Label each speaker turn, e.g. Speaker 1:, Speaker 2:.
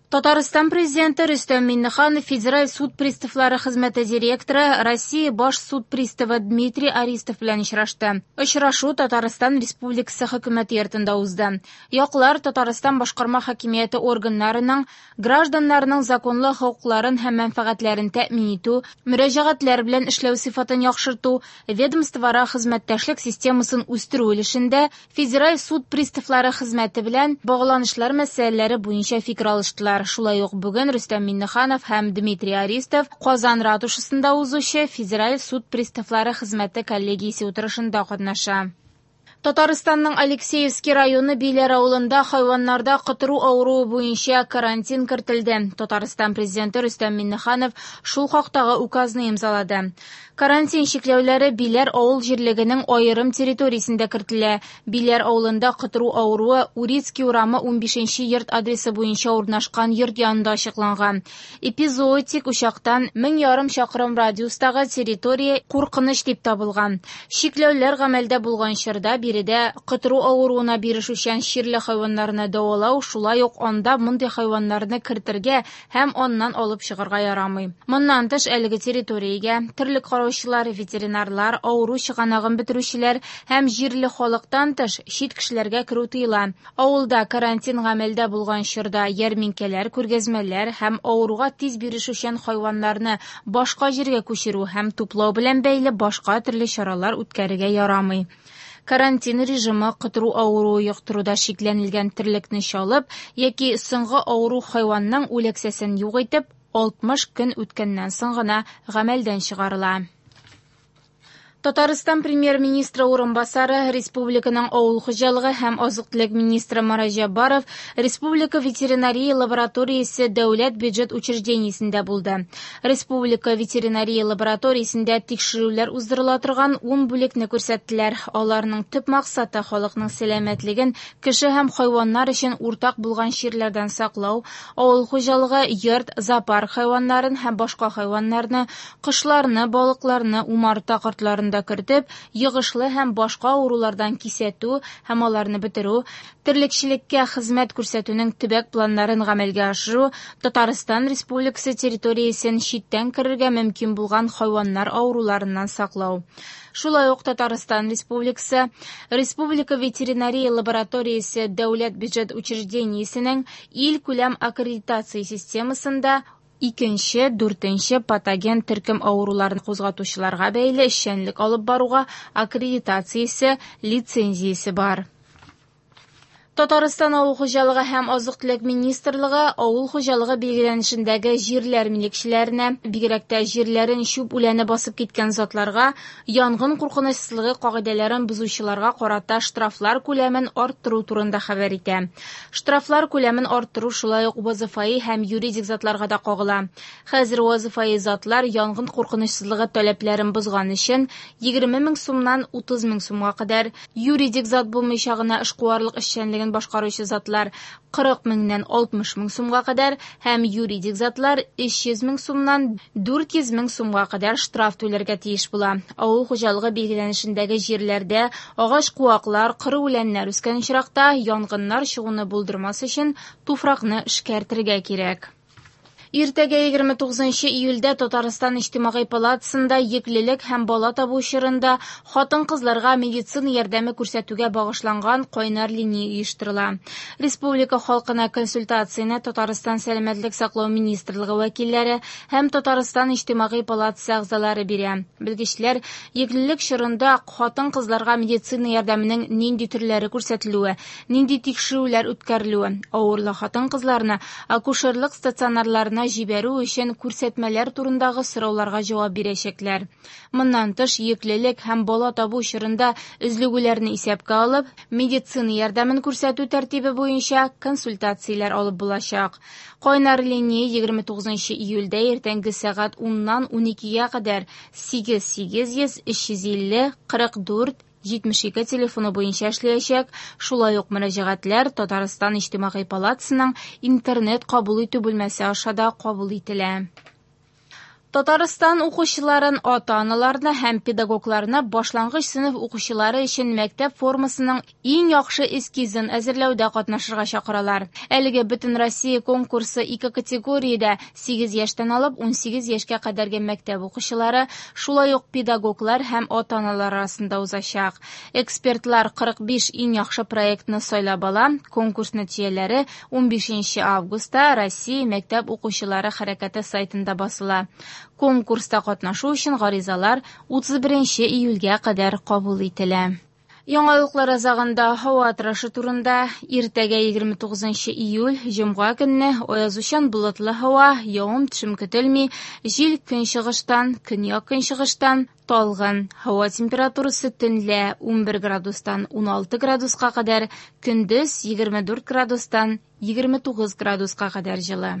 Speaker 1: Татарстан Президенты Рөстәм Миңнеханов Федераль суд приставлары хезмәте директоры, Россия баш суд приставы Дмитрий Аристов белән очрашты. Очрашу Татарстан Республикасы Хөкүмәте йортында узды. Яклар Татарстан башкарма хакимияте органнарының гражданнарның законлы хокукларын һәм мәнфәгатьләрен тәэмин итү, мөрәҗәгатьләр белән эшләү сыйфатын яхшырту, ведомствоара хезмәттәшлек системасын үстерү өлешендә Федераль суд приставлары хезмәте белән багланышлар мәсьәләләре буенча фикер алыштылар. Шулай ук бүген Рөстәм Миңнеханов һәм Дмитрий Аристов Казан ратушасында узучы Федераль суд приставлары хезмәте коллегиясе утырышында катнаша. Татарстанның Алексеевский районы Биләр авылында хайваннарда котыру авыруы буенча карантин кертелде. Татарстан Президенты Рөстәм Миңнеханов шул хактагы указны имзалады. Карантин чикләүләре Биләр авыл җирлегенең аерым территориясендә кертелә. Биләр авылында котыру авыруы Урицкий урамы 15 нче йорт адресы буенча урнашкан йорт янында ачыкланган. Эпизоотик учактан 1500 чакрым радиустагы территория куркыныч дип табылган. Чикләүләр гамәлдә булган чорда биредә котыру авыруына бирешүчән чирле хайваннарны дәвалау, шулай ук анда мондый хайваннарны кертергә һәм аннан алып чыгарга ярамый. Моннан тыш, әлеге территориягә терлек караучылар, ветеринарлар, авыру чыганагын бетерүчеләр һәм җирле халыктан тыш, чит кешеләргә керү тыела. Авылда карантин гамәлдә булган чорда ярминкәләр, күргәзмәләр һәм авыруга тиз бирешүчән хайваннарны башка җиргә күчерү һәм туплау белән бәйле башка төрле чаралар үткәрергә ярамый. Карантин режимы котыру авыруы йоктыруда шикләнелгән терлекне чалып яки соңгы авыру хайванның үләксәсен юк итеп, 60 көн үткәннән соң гына гамәлдән чыгарыла. Татарстан Премьер-министры урынбасары, республиканың авыл хуҗалыгы һәм азык-төлек министры Марат Җәббаров Республика ветеринария лабораториясе дәүләт бюджет учреждениесендә булды. Республика ветеринария лабораториясендә тикшерүләр уздырыла торган ун бүлекне күрсәттеләр. Аларның төп максаты халыкның сәламәтлеген кеше һәм хайваннар өчен уртак булган чирләрдән саклау, авыл хуҗалыгы, йорт, зоопарк хайваннарын һәм башка хайваннарны, кошларны, балыкларны, умарта кортларын да кертеп, йогышлы һәм башка авырулардан кисәтү һәм аларны бетерү, терлекчелеккә хезмәт күрсәтүнең төбәк планнарын гамәлгә ашыру, Татарстан Республикасы территориясен читтән керергә мөмкин булган хайваннар авыруларыннан саклау. Шулай ук Татарстан Республикасы Республика ветеринария лабораториясе дәүләт бюджет учреждениесенең илкүләм аккредитация системасында икенче, дүртенче патоген төркем авыруларын кузгатучыларга бәйле эшчәнлек алып баруга аккредитациясе, лицензиясе бар. Татарстан Авыл хуҗалыгы һәм азык-төлек министрлыгы авыл хуҗалыгы билгеләнешендәге җирләр милекчеләренә, бигрәк тә җирләрен чүп үләне басып киткән затларга, янгын куркынычсызлыгы кагыйдәләрен бозучыларга карата штрафлар күләмен арттыру турында хәбәр итә. Штрафлар күләмен арттыру шулай ук вазыйфаи һәм юридик затларга да кагыла. Хәзер вазыйфаи затлар янгын куркынычсызлыгы таләпләрен бозган өчен 20 мең сумнан 30 мең сумга кадәр, юридик зат булмыйча гына эшкуарлык эшчәнлеген башкаручы затлар 40 меңнән 60 мең сумга кадәр һәм юридик затлар 300 мең сумнан 400 мең сумга кадәр штраф түләргә тиеш була. Авыл хуҗалыгы билгеләнешендәге җирләрдә агач-куаклар, коры үләннәр үскән очракта янгыннар чыгуны булдырмас өчен туфракны эшкәртергә кирәк. Иртәгә 29 июльдә Татарстан Иҗтимагый палатасында йөклелек һәм бала табу чорында хатын-кызларга медицина ярдәме күрсәтүгә багышланган кайнар линия оештырыла. Республика халкына консультацияне Татарстан Сәламәтлек саклау министрлыгы вәкилләре һәм Татарстан Иҗтимагый палатасы әгъзалары бирә. Белгечләр йөклелек чорында хатын-кызларга медицина ярдәменең нинди төрләре күрсәтелүе, нинди тикшерүләр үткәрелүе, авырлы хатын-кызларны акушерлык стационарларына җибәрү өчен күрсәтмәләр турындагы сорауларга җавап бирәчәкләр. Моннан тыш, йөклелек һәм бала табу чорында өзлегүләрне исәпкә алып, медицина ярдәмен күрсәтү тәртибе буенча консультацияләр алып булачак. Кайнар линия 29 июльдә иртәнге сәгать 10-нан 12-гә кадәр 8 800 350 44 72 телефоны буенча эшләячәк. Шулай ук мөрәҗәгатьләр Татарстан Иҗтимагый палатасының интернет кабул итү бүлмәсе аша да кабул ителә. Татарстан укучыларын, ата-аналарны һәм педагогларны башлангыч сыйныф укучылары өчен мәктәп формасының иң яхшы эскизын әзерләүдә катнашырга чакыралар. Әлеге Бөтенроссия конкурсы ике категориядә 8 яшьтән алып 18 яшькә кадәрге мәктәп укучылары, шулай ук педагоглар һәм ата-аналар арасында узачак. Экспертлар 45 иң яхшы проектны сайлап ала. Конкурс нәтиҗәләре 15 августта Россия мәктәп укучылары хәрәкәте сайтында басыла. Конкурста катнашу өчен гаризалар 31 июльгә кадәр кабул ителә. Яңалыклар азагында һава торышы турында. Иртәгә 29 июль, җомга көнне аязучан болытлы һава, явым-төшем көтелми, җил көнчыгыштан, көньяк-көнчыгыштан талгын. Һава температурасы төнлә 11 градустан 16 градуска кадәр, көндез 24 градустан 29 градуска кадәр җылы.